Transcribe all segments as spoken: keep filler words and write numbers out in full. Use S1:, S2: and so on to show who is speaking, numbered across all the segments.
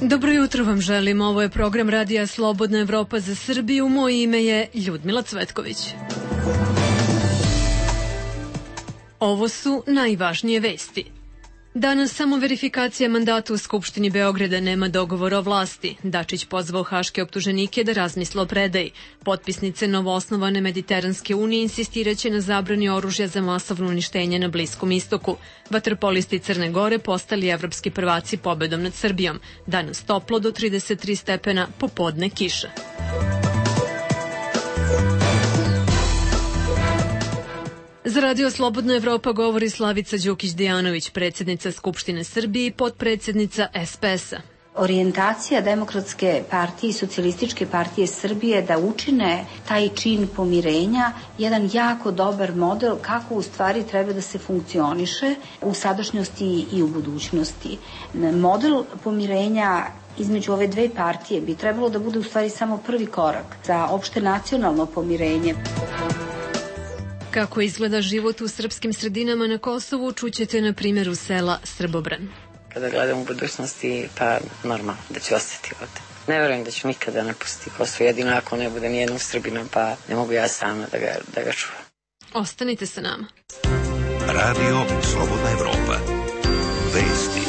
S1: Dobro jutro vam želim, ovo je program Radija Slobodna Evropa za Srbiju, moje ime je Ljudmila Cvetković. Ovo su najvažnije vesti. Danas samo verifikacija mandata u Skupštini Beograda, nema dogovora o vlasti. Dačić pozvao haške optuženike da razmisle o predaji. Potpisnice novoosnovane Mediteranske unije insistiraće na zabrani oružja za masovno uništenje na Bliskom istoku. Vaterpolisti Crne Gore postali evropski prvaci pobedom nad Srbijom. Danas toplo do trideset tri stepena, popodne kiša. Za Radio Slobodna Evropa govori Slavica Đukić-Dejanović, predsjednica Skupštine Srbije i potpredsjednica S P S-a.
S2: Orijentacija Demokratske partije i Socijalističke partije Srbije da učine taj čin pomirenja jedan jako dobar model kako u stvari treba da se funkcioniše u sadašnjosti i u budućnosti. Model pomirenja između ove dve partije bi trebalo da bude u stvari samo prvi korak za opšte nacionalno pomirenje.
S1: Kako izgleda život u srpskim sredinama na Kosovu, čućete na primjeru sela Srbobran.
S3: Kada gledam u budućnosti, pa normalno da ću ostati ovde. Ne verujem da ću nikada napustiti Kosovo, jedino ako ne bude nijednog Srbina, pa ne mogu ja sama da ga, da ga čuvam.
S1: Ostanite sa nama.
S4: Radio Slobodna Evropa. Vesti.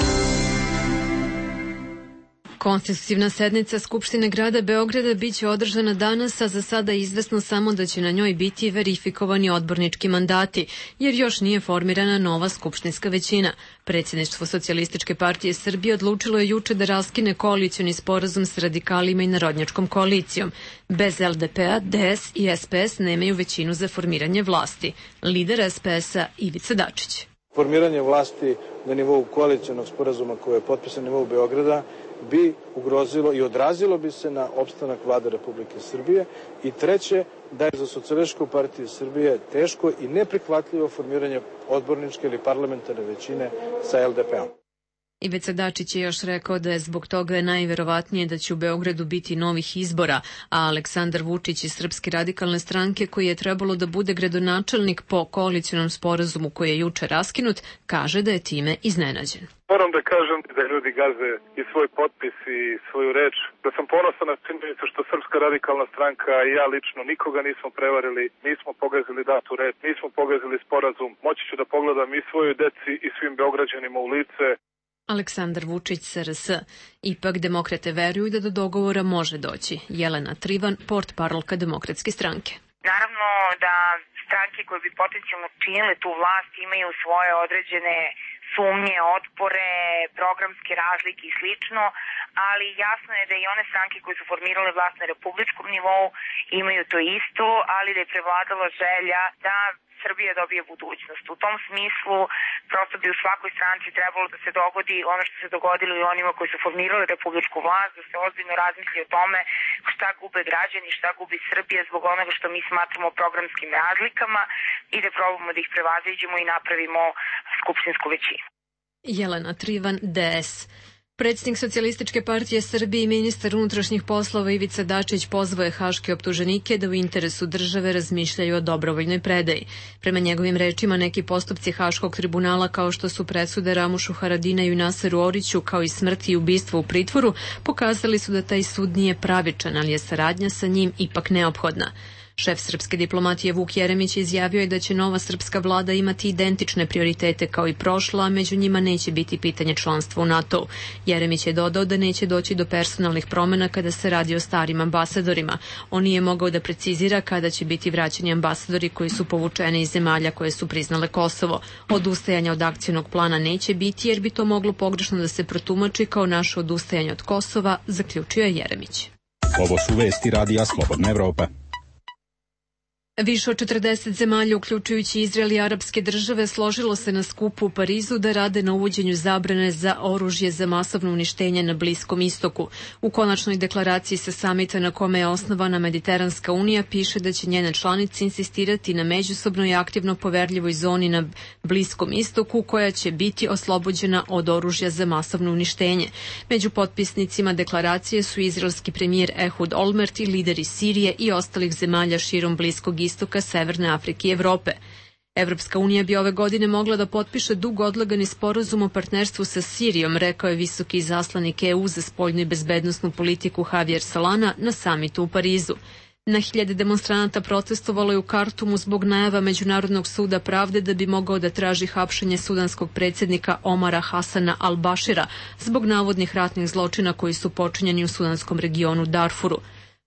S1: Konstitutivna sednica Skupštine grada Beograda biće održana danas, a za sada je izvesno samo da će na njoj biti verifikovani odbornički mandati, jer još nije formirana nova skupštinska većina. Predsjedništvo Socijalističke partije Srbije odlučilo je juče da raskine koalicioni sporazum s radikalima i narodnjačkom koalicijom. Bez L D P-a, D S i S P S nemaju većinu za formiranje vlasti. Lider S P S-a Ivica Dačić.
S5: Formiranje vlasti na nivou koalicionog sporazuma koji je potpisan na nivou Beograda bi ugrozilo i odrazilo bi se na opstanak vlade Republike Srbije. I treće, da je za Socijalističku partiju Srbije teško i neprihvatljivo formiranje odborničke ili parlamentarne većine sa L D P-om.
S1: Ivica Dačić je još rekao da je zbog toga najverovatnije da će u Beogradu biti novih izbora, a Aleksandar Vučić iz Srpske radikalne stranke, koji je trebalo da bude gradonačelnik po koalicionom sporazumu koji je juče raskinut, kaže da je time iznenađen.
S6: Moram da kažem da ljudi gaze i svoj potpis i svoju reč, da sam ponosan na činjenicu što Srpska radikalna stranka i ja lično nikoga nismo prevarili, nismo pogazili datu reč, nismo pogazili sporazum. Moći ću da pogledam i svojoj deci i svim Beograđanima u lice.
S1: Aleksandar Vučić, S R S. Ipak demokrate veruju da do dogovora može doći. Jelena Trivan, portparolka Demokratske stranke.
S7: Naravno da stranke koje bi potencijalno činile tu vlast imaju svoje određene sumnje, otpore, programske razlike i slično, ali jasno je da i one stranke koje su formirale vlast na republičkom nivou imaju to isto, ali da je prevladala želja da Srbija dobije budućnost. U tom smislu prosto bi u svakoj stranci trebalo da se dogodi ono što se dogodilo i onima koji su formirali republičku vlast, da se ozbiljno razmisli o tome šta gube građani, šta gubi Srbija zbog onoga što mi smatramo programskim razlikama i da probamo da ih prevaziđemo i napravimo skupštinsku većinu.
S1: Jelena Trivan, D S. Predsjednik Socijalističke partije Srbije i ministar unutrašnjih poslova Ivica Dačić pozvao je haške optuženike da u interesu države razmišljaju o dobrovoljnoj predaji. Prema njegovim rečima, neki postupci Haškog tribunala, kao što su presude Ramušu Haradinaju i Naseru Oriću, kao i smrti i ubistvo u pritvoru, pokazali su da taj sud nije pravičan, ali je saradnja sa njim ipak neophodna. Šef srpske diplomatije Vuk Jeremić izjavio je da će nova srpska vlada imati identične prioritete kao i prošla, a među njima neće biti pitanje članstva u NATO. Jeremić je dodao da neće doći do personalnih promjena kada se radi o starim ambasadorima. On nije mogao da precizira kada će biti vraćeni ambasadori koji su povučeni iz zemalja koje su priznale Kosovo. Odustajanja od akcionog plana neće biti jer bi to moglo pogrešno da se protumači kao naše odustajanje od Kosova, zaključio je Jeremić.
S4: Ovo su vesti Radija Slobodna Evropa.
S1: Više od četrdeset zemalja, uključujući Izrael i arapske države, složilo se na skupu u Parizu da rade na uvođenju zabrane za oružje za masovno uništenje na Bliskom istoku. U konačnoj deklaraciji sa samita na kome je osnovana Mediteranska unija piše da će njene članice insistirati na međusobno i aktivno poverljivoj zoni na Bliskom istoku koja će biti oslobođena od oružja za masovno uništenje. Među potpisnicima deklaracije su izraelski premijer Ehud Olmert i lideri Sirije i ostalih zemalja širom Bliskog istoka, Severne Afrike i Evrope. Evropska unija bi ove godine mogla da potpiše dugo odlagani sporazum o partnerstvu sa Sirijom, rekao je visoki izaslanik E U za spoljnu i bezbednosnu politiku Javier Solana na samitu u Parizu. Na hiljade demonstranata protestovalo je u Kartumu zbog najava Međunarodnog suda pravde da bi mogao da traži hapšenje sudanskog predsjednika Omara Hasana al-Bašira zbog navodnih ratnih zločina koji su počinjeni u sudanskom regionu Darfuru.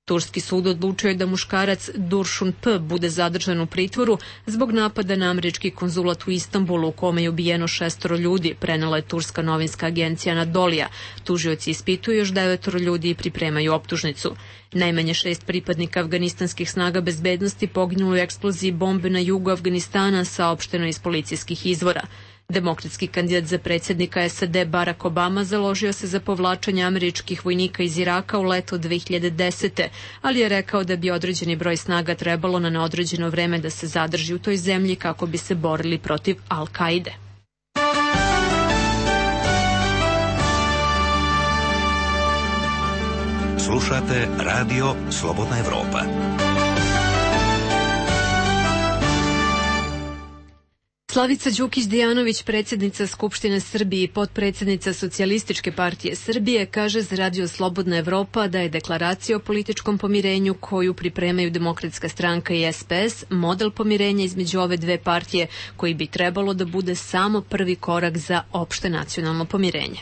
S1: Turski sud odlučio je da muškarac Duršun P. bude zadržan u pritvoru zbog napada na američki konzulat u Istanbulu u kome je ubijeno šestoro ljudi, prenela je turska novinska agencija Anadolija. Tužioci ispituju još devetoro ljudi i pripremaju optužnicu. Najmanje šest pripadnika afganistanskih snaga bezbednosti poginulo u eksploziji bombe na jugu Afganistana, saopšteno iz policijskih izvora. Demokratski kandidat za predsjednika S A D Barack Obama založio se za povlačenje američkih vojnika iz Iraka u leto dve hiljade desete. ali je rekao da bi određeni broj snaga trebalo na neodređeno vreme da se zadrži u toj zemlji kako bi se borili protiv Al-Kaide.
S4: Slušate Radio Slobodna Evropa.
S1: Slavica Đukić-Dejanović, predsjednica Skupštine Srbije i potpredsjednica Socijalističke partije Srbije, kaže za Radio Slobodna Evropa da je deklaracija o političkom pomirenju koju pripremaju Demokratska stranka i S P S model pomirenja između ove dve partije koji bi trebalo da bude samo prvi korak za opšte nacionalno pomirenje.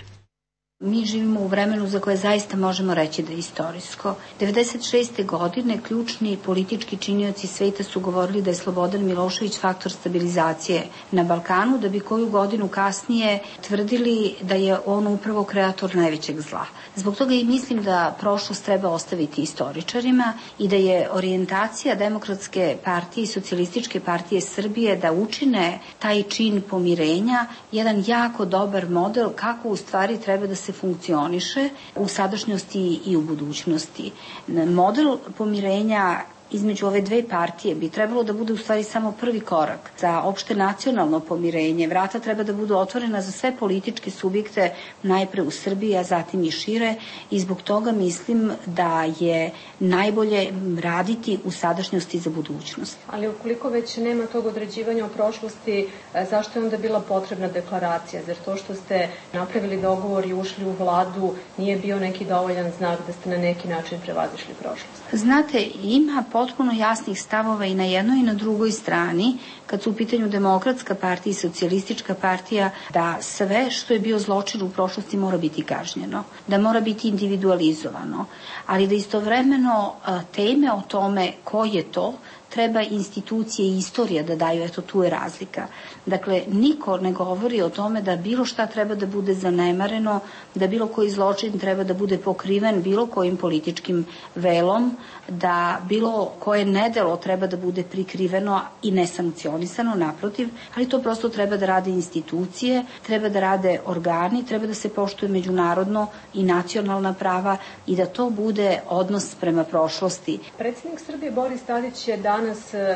S2: Mi živimo u vremenu za koje zaista možemo reći da je istorijsko. devedeset šeste. godine ključni politički činioci sveta su govorili da je Slobodan Milošević faktor stabilizacije na Balkanu, da bi koju godinu kasnije tvrdili da je on upravo kreator najvećeg zla. Zbog toga i mislim da prošlost treba ostaviti istoričarima i da je orijentacija Demokratske partije i Socijalističke partije Srbije da učine taj čin pomirenja jedan jako dobar model kako u stvari treba da se funkcioniše u sadašnjosti i u budućnosti. Model pomirenja između ove dve partije bi trebalo da bude u stvari samo prvi korak za opšte nacionalno pomirenje. Vrata treba da budu otvorena za sve političke subjekte, najpre u Srbiji, a zatim i šire, i zbog toga mislim da je najbolje raditi u sadašnjosti za budućnost.
S8: Ali ukoliko već nema tog određivanja o prošlosti, zašto je onda bila potrebna deklaracija? Zar to što ste napravili dogovor i ušli u vladu nije bio neki dovoljan znak da ste na neki način prevazišli prošlost?
S2: Znate, ima potpuno jasnih stavova i na jednoj i na drugoj strani, kad su u pitanju Demokratska partija i Socijalistička partija, da sve što je bio zločin u prošlosti mora biti kažnjeno, da mora biti individualizovano, ali da istovremeno teme o tome ko je to, treba institucije i istorija da daju, eto tu je razlika. Dakle, niko ne govori o tome da bilo šta treba da bude zanemareno, da bilo koji zločin treba da bude pokriven bilo kojim političkim velom, da bilo koje nedelo treba da bude prikriveno i nesankcionisano, naprotiv, ali to prosto treba da rade institucije, treba da rade organi, treba da se poštuje međunarodno i nacionalna prava i da to bude odnos prema prošlosti.
S8: Predsjednik Srbije Boris Tadić je danas,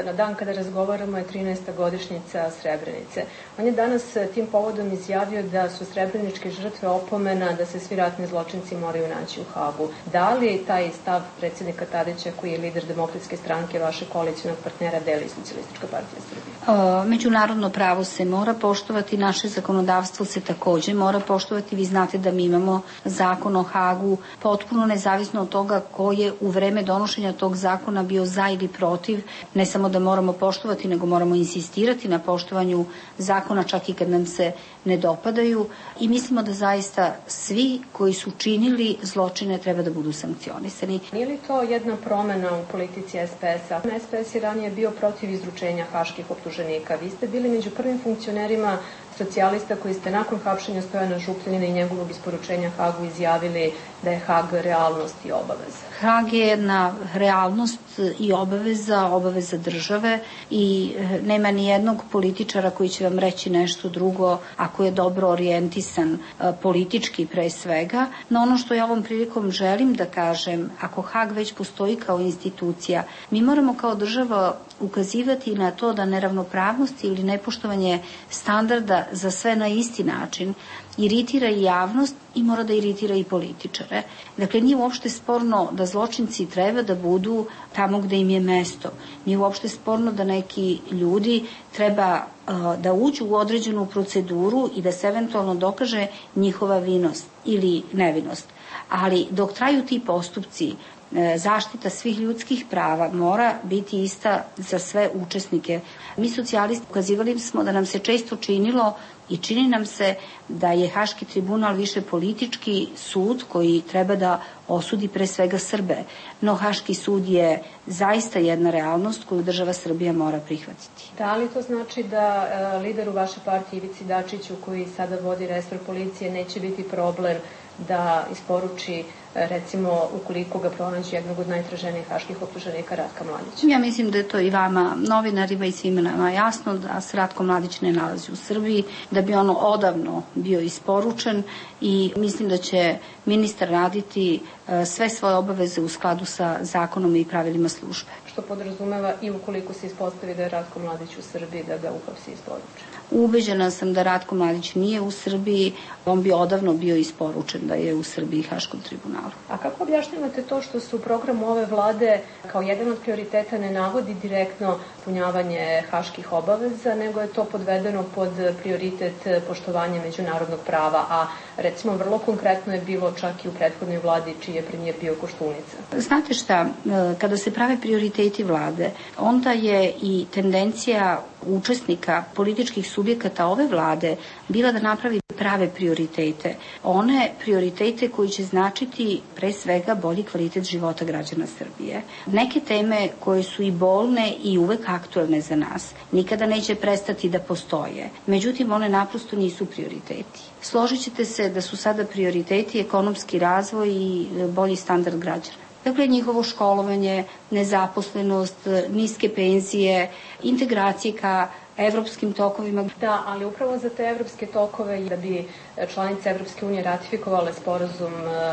S8: na dan kada razgovaramo, je trinaesta godišnjica Srebrenice. On je danas tim povodom izjavio da su srebreničke žrtve opomena da se svi ratni zločinci moraju naći u Hagu. Da li taj stav predsjednika Tadića, koji je lider Demokratske stranke, vašeg koalicionog partnera, deli Socijalistička partija Srbije?
S2: O, međunarodno pravo se mora poštovati, naše zakonodavstvo se takođe mora poštovati. Vi znate da mi imamo zakon o Hagu, potpuno nezavisno od toga ko je u vreme donošenja tog zakona bio za ili protiv. Ne samo da moramo poštovati, nego moramo insistirati na poštovanju zakona čak i kad nam se ne dopadaju, i mislimo da zaista svi koji su činili zločine treba da budu sankcionisani.
S8: Nije li to jedna promena u politici S P S-a? S P S je ranije bio protiv izručenja haških optuženika. Vi ste bili među prvim funkcionerima socijalista koji ste nakon hapšenja Stojana Župljanina i njegovog isporučenja Hagu izjavili da je Hag realnost i obaveza.
S2: Hag je jedna realnost i obaveza, obaveza države, i nema ni jednog političara koji će vam reći nešto drugo ako je dobro orijentisan politički pre svega. No ono što ja ovom prilikom želim da kažem, ako Hag već postoji kao institucija, mi moramo kao država ukazivati na to da neravnopravnost ili nepoštovanje standarda za sve na isti način iritira i javnost i mora da iritira i političare. Dakle, nije uopšte sporno da zločinci treba da budu tamo gde im je mesto. Nije uopšte sporno da neki ljudi treba uh, da uđu u određenu proceduru i da se eventualno dokaže njihova vinost ili nevinost. Ali dok traju ti postupci, zaštita svih ljudskih prava mora biti ista za sve učesnike. Mi socijalisti ukazivali smo da nam se često činilo i čini nam se da je Haški tribunal više politički sud koji treba da osudi pre svega Srbe. No Haški sud je zaista jedna realnost koju država Srbija mora prihvatiti.
S8: Da li to znači da e, lideru vaše partije Ivici Dačiću, koji sada vodi resor policije, neće biti problem da isporuči, recimo, ukoliko ga pronađe jednog od najtraženijih haških optuženika, Ratka Mladića?
S2: Ja mislim da je to i vama, novinarima i svima nama jasno da se Ratko Mladić ne nalazi u Srbiji, da bi ono odavno bio isporučen i mislim da će ministar raditi sve svoje obaveze u skladu sa zakonom i pravilima službe.
S8: Što podrazumeva i ukoliko se ispostavi da je Ratko Mladić u Srbiji, da ga uhapsi i isporuči?
S2: Ubeđena sam da Ratko Mladić nije u Srbiji, on bi odavno bio isporučen da je u Srbiji Haškom tribunalu.
S8: A kako objašnjavate to što se u programu ove vlade kao jedan od prioriteta ne navodi direktno punjavanje haških obaveza, nego je to podvedeno pod prioritet poštovanja međunarodnog prava, a recimo vrlo konkretno je bilo čak i u prethodnoj vladi čiji je premijer bio Koštunica?
S2: Znate šta, kada se prave prioriteti vlade, onda je i tendencija učesnika političkih subjekata ove vlade bila da napravi prave prioritete. One prioritete koji će značiti pre svega bolji kvalitet života građana Srbije. Neke teme koje su i bolne i uvek aktuelne za nas, nikada neće prestati da postoje. Međutim, one naprosto nisu prioriteti. Složit ćete se da su sada prioriteti ekonomski razvoj i bolji standard građana. Dakle, njihovo školovanje, nezaposlenost, niske penzije, integracije ka evropskim tokovima.
S8: Da, ali upravo za te evropske tokove i da bi članice Evropske unije ratifikovale sporazum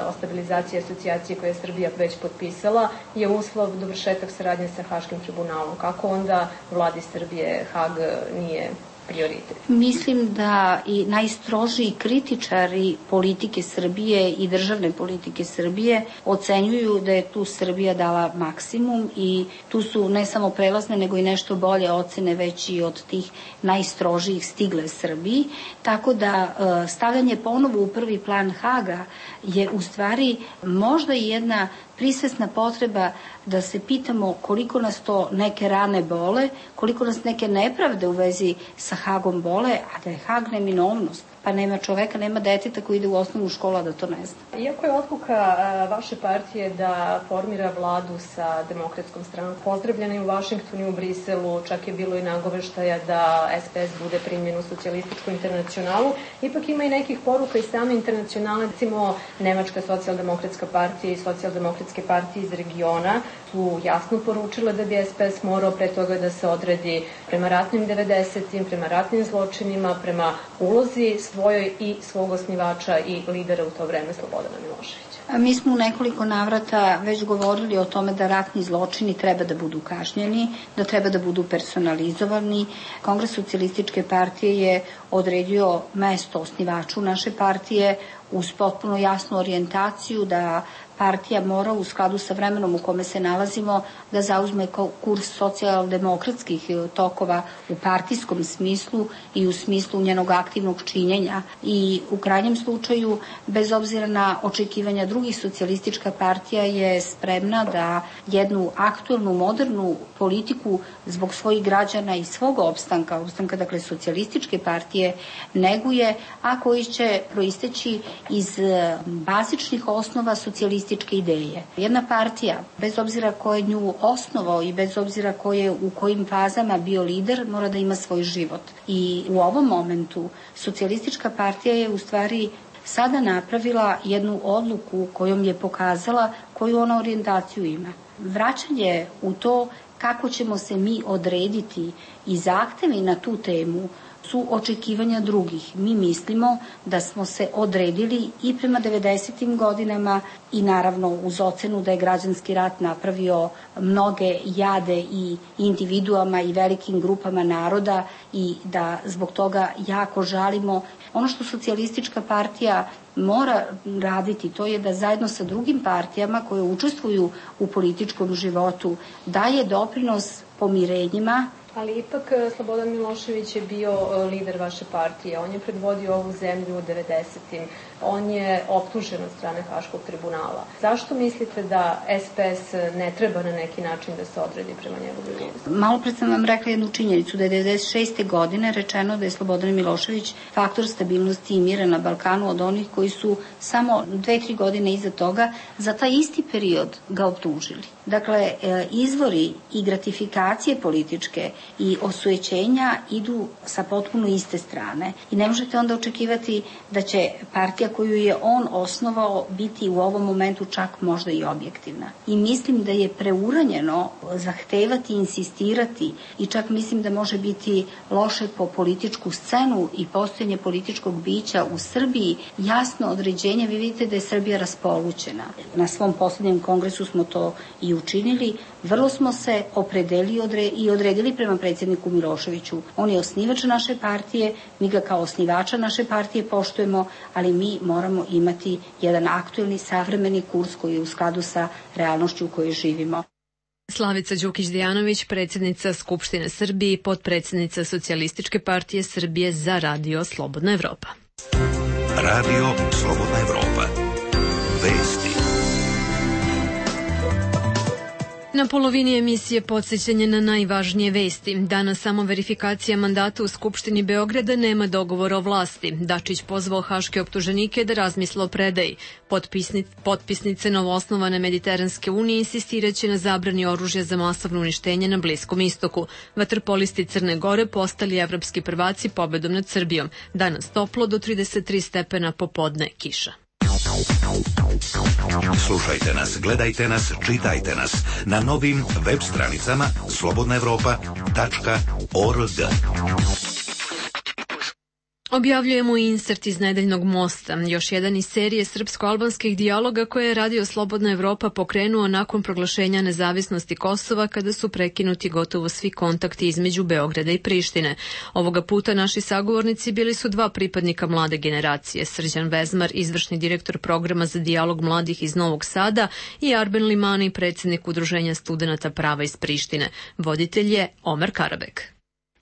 S8: o stabilizaciji i asocijaciji koje je Srbija već potpisala, je uslov dovršetak saradnje sa Haškim tribunalom. Kako onda vladi Srbije Hag nije prioritet?
S2: Mislim da i najstrožiji kritičari politike Srbije i državne politike Srbije ocenjuju da je tu Srbija dala maksimum i tu su ne samo prelazne nego i nešto bolje ocene već i od tih najstrožijih stigle Srbiji. Tako da stavljanje ponovo u prvi plan Haga je u stvari možda i jedna prisvesna potreba da se pitamo koliko nas to neke rane bole, koliko nas neke nepravde u vezi sa Hagom bole, a da je Hag neminovnost. Pa nema čoveka, nema deteta koji ide u osnovnu školu, a da to ne zna.
S8: Iako je odluka vaše partije da formira vladu sa demokratskom stranom pozdravljena i u Vašingtonu i u Briselu, čak je bilo i nagoveštaja da S P S bude primljen u socijalističku internacionalu, ipak ima i nekih poruka iz same internacionale, recimo Nemačka socijaldemokratska partija i socijaldemokratske partije iz regiona su jasno poručile da bi S P S morao pre toga da se odredi prema ratnim devedesetim, prema ratnim zločinima, prema ulozi svojoj i svog osnivača i lidera u to vreme Slobodana Miloševića.
S2: Mi smo u nekoliko navrata već govorili o tome da ratni zločini treba da budu kažnjeni, da treba da budu personalizovani. Kongres socijalističke partije je odredio mesto osnivaču naše partije uz potpuno jasnu orijentaciju da partija mora u skladu sa vremenom u kome se nalazimo da zauzme kurs socijaldemokratskih tokova u partijskom smislu i u smislu njenog aktivnog činjenja. I u krajnjem slučaju, bez obzira na očekivanja drugih, socijalistička partija je spremna da jednu aktuelnu, modernu politiku zbog svojih građana i svog opstanka, opstanka dakle socijalističke partije, neguje, a koji će proisteći iz bazičnih osnova socijalističke ideje. Jedna partija, bez obzira ko je nju osnovao i bez obzira ko je u kojim fazama bio lider, mora da ima svoj život. I u ovom momentu socijalistička partija je u stvari sada napravila jednu odluku kojom je pokazala koju ona orijentaciju ima. Vraćanje u to kako ćemo se mi odrediti i zahtevi na tu temu su očekivanja drugih. Mi mislimo da smo se odredili i prema devedesetim godinama i naravno uz ocenu da je građanski rat napravio mnoge jade i individuama i velikim grupama naroda i da zbog toga jako žalimo. Ono što Socijalistička partija mora raditi, to je da zajedno sa drugim partijama koje učestvuju u političkom životu daje doprinos pomirenjima.
S8: Ali ipak Slobodan Milošević je bio lider vaše partije, on je predvodio ovu zemlju u devedesetim. On je optužen od strane Haškog tribunala. Zašto mislite da S P S ne treba na neki način da se odredi prema njegovoj listi?
S2: Malo pred sam vam rekla jednu činjenicu, da je devedeset šeste. godine rečeno da je Slobodan Milošević faktor stabilnosti i mira na Balkanu od onih koji su samo dve, tri godine iza toga za taj isti period ga optužili. Dakle, izvori i gratifikacije političke i osujećenja idu sa potpuno iste strane. I ne možete onda očekivati da će partija koju je on osnovao biti u ovom momentu čak možda i objektivna. I mislim da je preuranjeno zahtevati, insistirati i čak mislim da može biti loše po političku scenu i postojanje političkog bića u Srbiji jasno određenje. Vi vidite da je Srbija raspolućena. Na svom poslednjem kongresu smo to i učinili. Vrlo smo se opredelili i odredili prema predsjedniku Miloševiću. On je osnivač naše partije, mi ga kao osnivača naše partije poštujemo, ali mi moramo imati jedan aktuelni, savremeni kurs koji je u skladu sa realnošću u kojoj živimo.
S1: Slavica Đukić-Dejanović, predsjednica Skupštine Srbije i potpredsjednica Socijalističke partije Srbije za Radio Slobodna Evropa.
S4: Radio Slobodna Evropa. Vesti.
S1: Na polovini emisije podsjećanje na najvažnije vesti. Danas samo verifikacija mandata u Skupštini Beograda, nema dogovora o vlasti. Dačić pozvao haške optuženike da razmisle o predaji. Potpisni, potpisnice novoosnovane Mediteranske unije insistiraće na zabrani oružja za masovno uništenje na Bliskom istoku. Vaterpolisti Crne Gore postali evropski prvaci pobedom nad Srbijom. Danas toplo do trideset tri stepena, popodne kiša.
S4: Slušajte nas, gledajte nas, čitajte nas na novim web stranicama slobodna evropa tačka org.
S1: Objavljujemo insert iz Nedeljnog mosta, još jedan iz serije srpsko-albanskih dijaloga koje je Radio Slobodna Evropa pokrenuo nakon proglašenja nezavisnosti Kosova, kada su prekinuti gotovo svi kontakti između Beograda i Prištine. Ovoga puta naši sagovornici bili su dva pripadnika mlade generacije, Srđan Vezmar, izvršni direktor programa za dijalog mladih iz Novog Sada, i Arben Limani, predsjednik Udruženja studenata prava iz Prištine. Voditelj je Omer Karabek.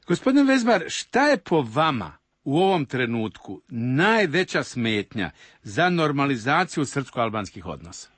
S9: Gospodin Vezmar, šta je po vama u ovom trenutku najveća smetnja za normalizaciju srpsko-albanskih odnosa?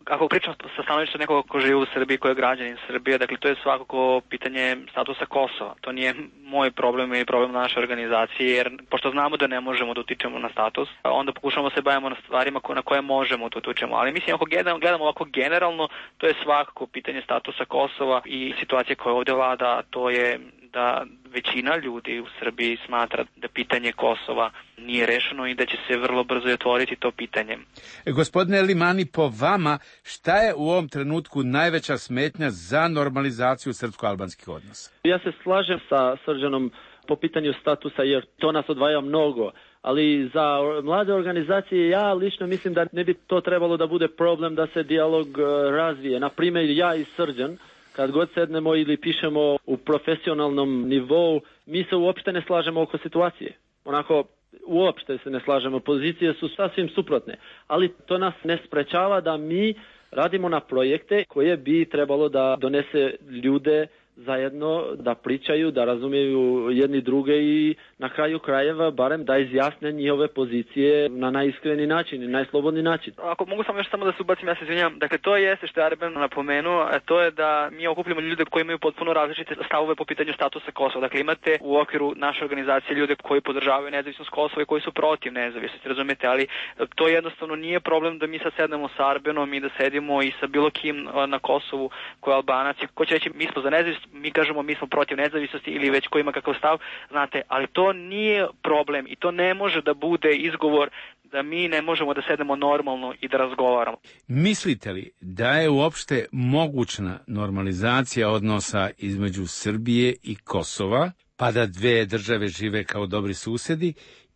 S10: Ako pričam sa stanovišta nekoga ko živi u Srbiji, ko je građanin Srbije, dakle to je svakako pitanje statusa Kosova. To nije moj problem i problem naše organizacije, jer pošto znamo da ne možemo da utičemo na status, onda pokušamo se bavimo na stvarima na koje možemo da utičemo. Ali mislim, ako gledamo ovako generalno, to je svakako pitanje statusa Kosova i situacije koja ovdje vlada, to je da većina ljudi u Srbiji smatra da pitanje Kosova nije rešeno i da će se vrlo brzo otvoriti to pitanje.
S9: E, gospodine Limani, po vama, šta je u ovom trenutku najveća smetnja za normalizaciju srpsko-albanskih odnosa?
S11: Ja se slažem sa Srđanom po pitanju statusa, jer to nas odvaja mnogo. Ali za mlade organizacije ja lično mislim da ne bi to trebalo da bude problem da se dijalog razvije. Na primjer, ja i Srđan, kad god sednemo ili pišemo u profesionalnom nivou, mi se uopšte ne slažemo oko situacije. Onako, uopšte se ne slažemo. Pozicije su sasvim suprotne. Ali to nas ne sprečava da mi radimo na projekte koje bi trebalo da donese ljude zajedno, da pričaju, da razumiju jedni druge i na kraju krajeva barem da izjasne njihove pozicije na najiskreni način i najslobodni način.
S10: Ako mogu samo još samo da se ubacim, ja se izvinjam. Dakle, to jeste što je Arben napomenuo, a to je da mi okupljamo ljude koji imaju potpuno različite stavove po pitanju statusa Kosova. Dakle, imate u okviru naše organizacije ljude koji podržavaju nezavisnost Kosova i koji su protiv nezavisnosti, razumete, ali to jednostavno nije problem da mi sad sednemo sa Arbenom i da sedimo i sa bilo kim na Kosovu koji je Albanac i ko će reći mi smo za nezavisnost, mi kažemo mi smo protiv nezavisnosti ili već ko ima kakav stav, znate, ali to nije problem i to ne može da bude izgovor da mi ne možemo da sedemo normalno i da razgovaramo.
S9: Mislite li da je uopšte mogućna normalizacija odnosa između Srbije i Kosova pa da dve države žive kao dobri susedi,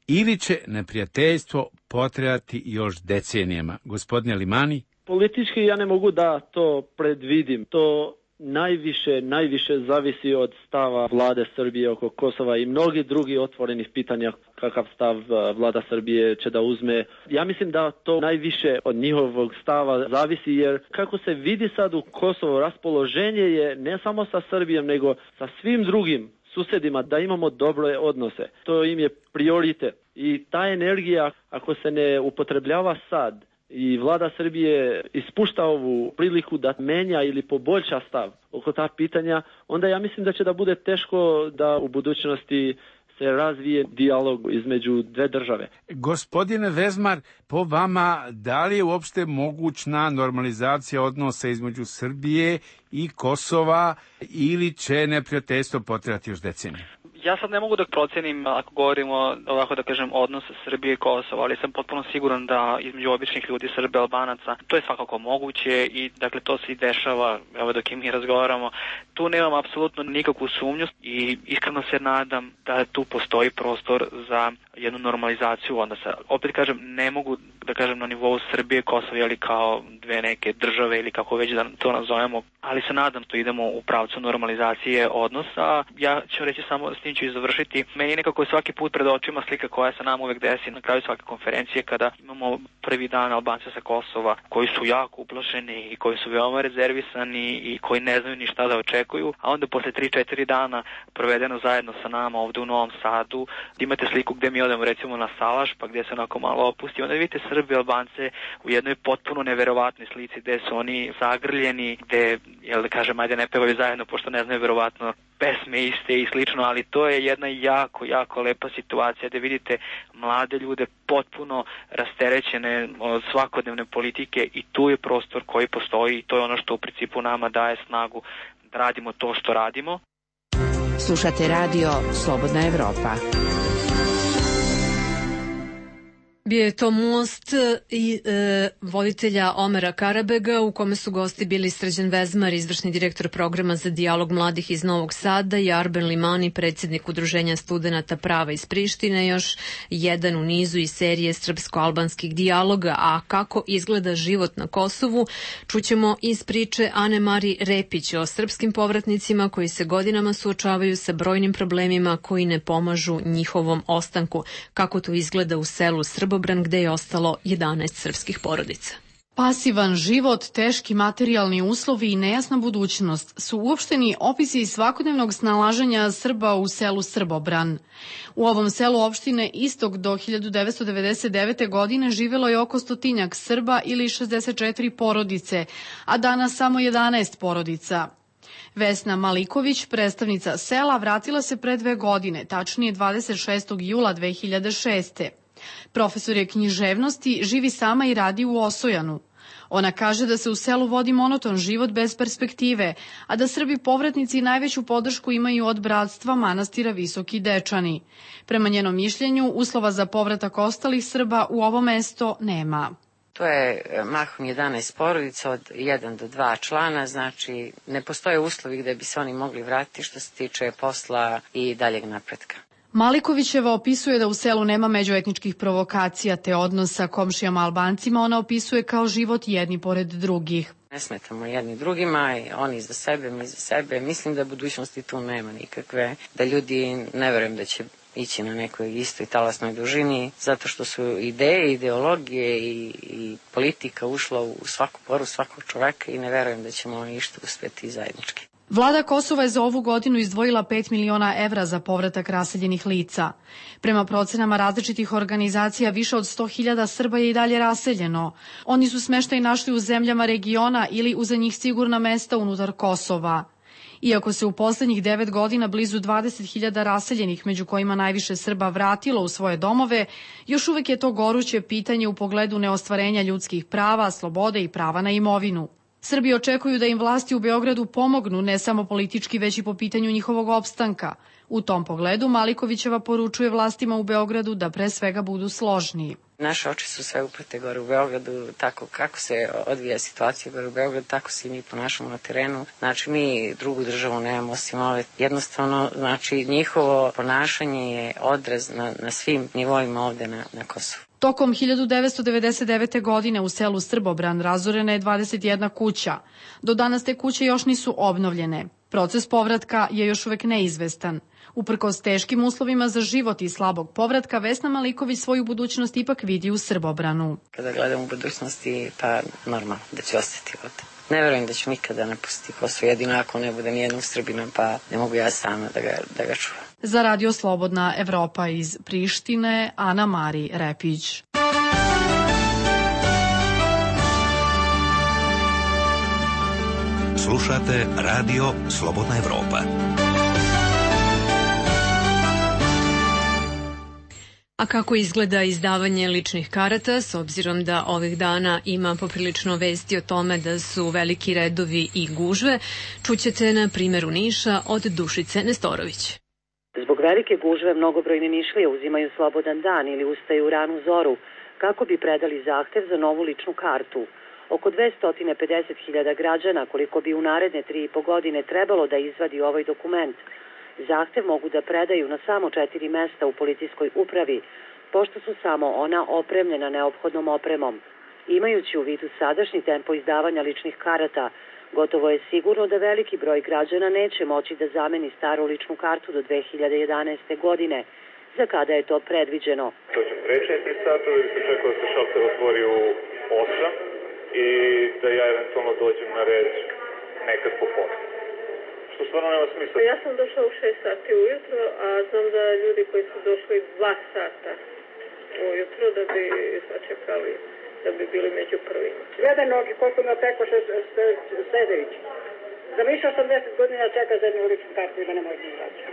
S9: ili će neprijateljstvo potrajati još decenijama? Gospodine Limani?
S11: Politički ja ne mogu da to predvidim. To najviše, najviše zavisi od stava vlade Srbije oko Kosova i mnogi drugi otvorenih pitanja kakav stav vlada Srbije će da uzme. Ja mislim da to najviše od njihovog stava zavisi, jer kako se vidi sad u Kosovo, raspoloženje je ne samo sa Srbijom nego sa svim drugim susedima da imamo dobre odnose. To im je prioritet. I ta energija, ako se ne upotrebljava sad i vlada Srbije ispušta ovu priliku da menja ili poboljša stav oko ta pitanja, onda ja mislim da će da bude teško da u budućnosti se razvije dijalog između dve države.
S9: Gospodine Vezmar, po vama, da li je uopšte mogućna normalizacija odnosa između Srbije i Kosova ili će neprijateljstvo potrajati još decenije?
S10: Ja sad ne mogu da procenim, ako govorimo ovako da kažem odnos Srbije i Kosova, ali sam potpuno siguran da između običnih ljudi, Srbe, Albanaca, to je svakako moguće i dakle to se i dešava, evo dok i mi razgovaramo. Tu nemam apsolutno nikakvu sumnju i iskreno se nadam da tu postoji prostor za jednu normalizaciju odnosa. Opet kažem, ne mogu da kažem na nivou Srbije, Kosova ili kao dve neke države ili kako već da to nazovemo, ali se nadam to idemo u pravcu normalizacije odnosa. Ja ću reći samo, s tim ću i završiti. Meni nekako je svaki put pred očima slika koja se nam uvek desi na kraju svake konferencije kada imamo prvi dan Albanca sa Kosova koji su jako uplašeni i koji su veoma rezervisani i koji ne znaju ni šta da očekuju, a onda posle tri četiri dana provedeno zajedno sa nama ovde u Novom Sadu, imate sliku gde mi odemo recimo na salaš, pa gde se onako malo opusti, onda vidite Srbi i Albance u jednoj potpuno neverovatnoj slici gde su oni zagrljeni, gde, jel da kažem, ajde ne pevaju zajedno pošto ne znaju verovatno pesme iste i slično, ali to je jedna jako, jako lepa situacija da vidite mlade ljude potpuno rasterećene od svakodnevne politike i tu je prostor koji postoji i to je ono što u principu nama daje snagu da radimo to što radimo.
S12: Slušate radio Slobodna Evropa.
S1: Bio je to most i e, voditelja Omera Karabega u kome su gosti bili Srđan Vezmar, izvršni direktor programa za dijalog mladih iz Novog Sada i Arben Limani, predsjednik Udruženja studenata prava iz Prištine, još jedan u nizu iz serije srpsko-albanskih dijaloga. A kako izgleda život na Kosovu, čućemo iz priče Ane Mari Repić o srpskim povratnicima koji se godinama suočavaju sa brojnim problemima koji ne pomažu njihovom ostanku. Kako to izgleda u selu Srbo gde je ostalo jedanaest srpskih porodica.
S13: Pasivan život, teški materijalni uslovi i nejasna budućnost su uopšteni opisi svakodnevnog snalaženja Srba u selu Srbobran. U ovom selu opštine Istok do hiljadu devetsto devedeset devete. godine živelo je oko stotinjak Srba ili šezdeset četiri porodice, a danas samo jedanaest porodica. Vesna Maliković, predstavnica sela, vratila se pre dve godine, tačnije dvadeset šestog jula dve hiljade šeste. Profesor je književnosti, živi sama i radi u Osojanu. Ona kaže da se u selu vodi monoton život bez perspektive, a da Srbi povratnici najveću podršku imaju od bratstva manastira Visoki Dečani. Prema njenom mišljenju, uslova za povratak ostalih Srba u ovo mesto nema.
S3: To je mahom jedanaest porodica od jedan do dva člana, znači ne postoje uslovi gde bi se oni mogli vratiti što se tiče posla i daljeg napretka.
S13: Malikovićeva opisuje da u selu nema međuetničkih provokacija te odnosa komšijama Albancima, ona opisuje kao život jedni pored drugih.
S3: Ne smetamo jedni drugima, oni za sebe, mi za sebe. Mislim da budućnosti tu nema nikakve, da ljudi ne verujem da će ići na nekoj istoj talasnoj dužini, zato što su ideje, ideologije i, i politika ušla u svaku poru svakog čoveka i ne verujem da ćemo išta uspeti zajednički.
S13: Vlada Kosova je za ovu godinu izdvojila pet miliona evra za povratak raseljenih lica. Prema procenama različitih organizacija, više od sto hiljada Srba je i dalje raseljeno. Oni su smeštaj našli u zemljama regiona ili u za njih sigurna mesta unutar Kosova. Iako se u poslednjih devet godina blizu dvadeset hiljada raseljenih, među kojima najviše Srba, vratilo u svoje domove, još uvek je to goruće pitanje u pogledu neostvarenja ljudskih prava, slobode i prava na imovinu. Srbi očekuju da im vlasti u Beogradu pomognu ne samo politički, već i po pitanju njihovog opstanka. U tom pogledu Malikovićeva poručuje vlastima u Beogradu da pre svega budu složniji.
S3: Naše oči su sve uprte gore u Beogradu, tako kako se odvija situacija gore u Beogradu, tako se i mi ponašamo na terenu. Znači, mi drugu državu nemamo osim ove. Jednostavno, znači, njihovo ponašanje je odraz na, na svim nivoima ovde na, na Kosovu.
S13: Tokom hiljadu devetsto devedeset devete. godine u selu Srbobran razorena je dvadeset jedna kuća. Do danas te kuće još nisu obnovljene. Proces povratka je još uvek neizvestan. Uprkos teškim uslovima za život i slabog povratka, Vesna Maliković svoju budućnost ipak vidi u Srbobranu.
S3: Kada gledam u budućnosti, pa normalno da ću ostati ovde. Ne verujem da ću nikada napustiti Kosovo, jedino ako ne bude nijednog Srbina, pa ne mogu ja sama da ga, da ga čuvam.
S13: Za Radio Slobodna Evropa iz Prištine, Ana Mari Repić.
S4: Slušate Radio Slobodna Evropa.
S1: A kako izgleda izdavanje ličnih karata, s obzirom da ovih dana ima poprilično vesti o tome da su veliki redovi i gužve, čućete na primjeru Niša od Dušice Nestorović.
S14: Zbog velike gužve mnogobrojne Nišlije uzimaju slobodan dan ili ustaju u ranu zoru kako bi predali zahtev za novu ličnu kartu. Oko dvesta pedeset hiljada građana, koliko bi u naredne tri i po godine trebalo da izvadi ovaj dokument, zahtev mogu da predaju na samo četiri mesta u policijskoj upravi, pošto su samo ona opremljena neophodnom opremom. Imajući u vidu sadašnji tempo izdavanja ličnih karata, gotovo je sigurno da veliki broj građana neće moći da zameni staru ličnu kartu do dve hiljade jedanaeste. godine, za kada je to predviđeno.
S15: To će pre četiri sata, ili se čekao da se šalter otvori u osam i da ja eventualno dođem na red nekad popodne. Što stvarno nema smisla.
S16: Ja sam došla u šest sati ujutro, a znam da ljudi koji su došli dva sata ujutro da bi sačekali, da bi bili među prvima.
S17: Gleda nogi, koliko ima Pekoša Sedević. Za više osamdeset godina čeka za jednu ličnu kartu i da ne može da izaći.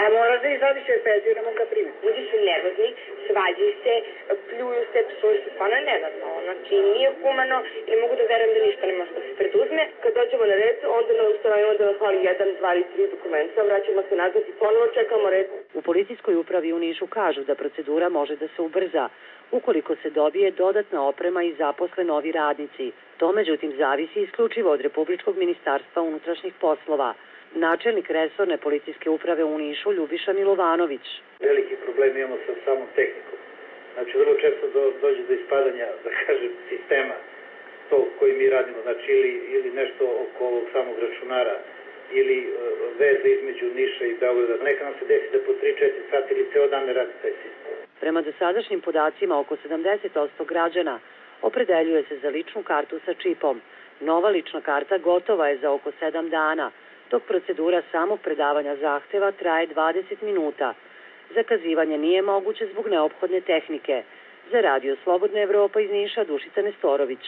S17: A mora da izađeš jer penziju ne mogu da primi.
S18: Ljudi su nervozni, svađaju se, pljuju se, psuju se, stvarno je nenormalno. Znači nije humano i mogu da verujem da ništa ne može da se preduzme. Kad dođemo na red, onda nam ustanovimo da nas hvali jedan, dva ili tri dokumenta, vraćamo se nazad i ponovo čekamo red.
S14: U policijskoj upravi u Nišu kažu da procedura može da se ubrza ukoliko se dobije dodatna oprema i zaposle novi radnici. To međutim zavisi isključivo od Republičkog ministarstva unutrašnjih poslova. Načelnik resorne policijske uprave u Nišu Ljubiša Milovanović.
S19: Veliki problem imamo sa samom tehnikom. Znači, vrlo često do, dođe do ispadanja, da kažem, sistema to koji mi radimo, znači ili, ili nešto oko ovog samog računara, ili uh, veze između Niša i Beograda. Neka nam se desi da po tri četiri sati ili ceo dan ne radi taj sistem.
S14: Prema dosadašnjim podacima, oko sedamdeset posto građana opredeljuje se za ličnu kartu sa čipom. Nova lična karta gotova je za oko sedam dana, dok procedura samog predavanja zahteva traje dvadeset minuta. Zakazivanje nije moguće zbog neophodne tehnike. Za Radio Slobodna Evropa iz Niša, Dušica Nestorović.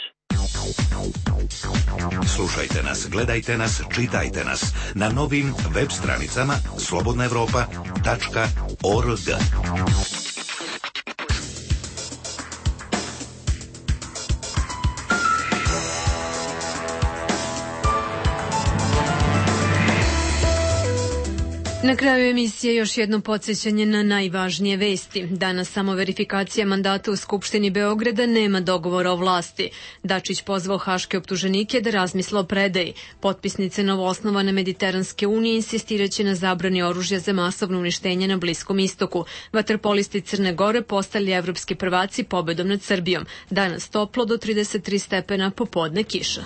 S4: Slušajte nas, gledajte nas, čitajte nas na novim web stranicama slobodna evropa tačka org.
S1: Na kraju emisije još jedno podsjećanje na najvažnije vesti. Danas samo verifikacija mandata u Skupštini Beograda, nema dogovora o vlasti. Dačić pozvao haške optuženike da razmisle o predaji. Potpisnice novoosnovane Mediteranske unije insistiraće na zabrani oružja za masovno uništenje na Bliskom istoku. Vaterpolisti Crne Gore postali evropski prvaci pobedom nad Srbijom. Danas toplo do trideset tri stepena, popodne kiša.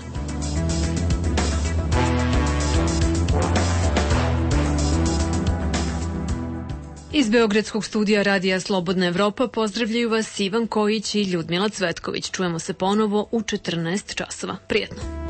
S1: Iz Beogradskog studija Radija Slobodna Evropa pozdravljaju vas Ivan Kojić i Ljudmila Cvetković. Čujemo se ponovo u četrnaest časova. Prijetno.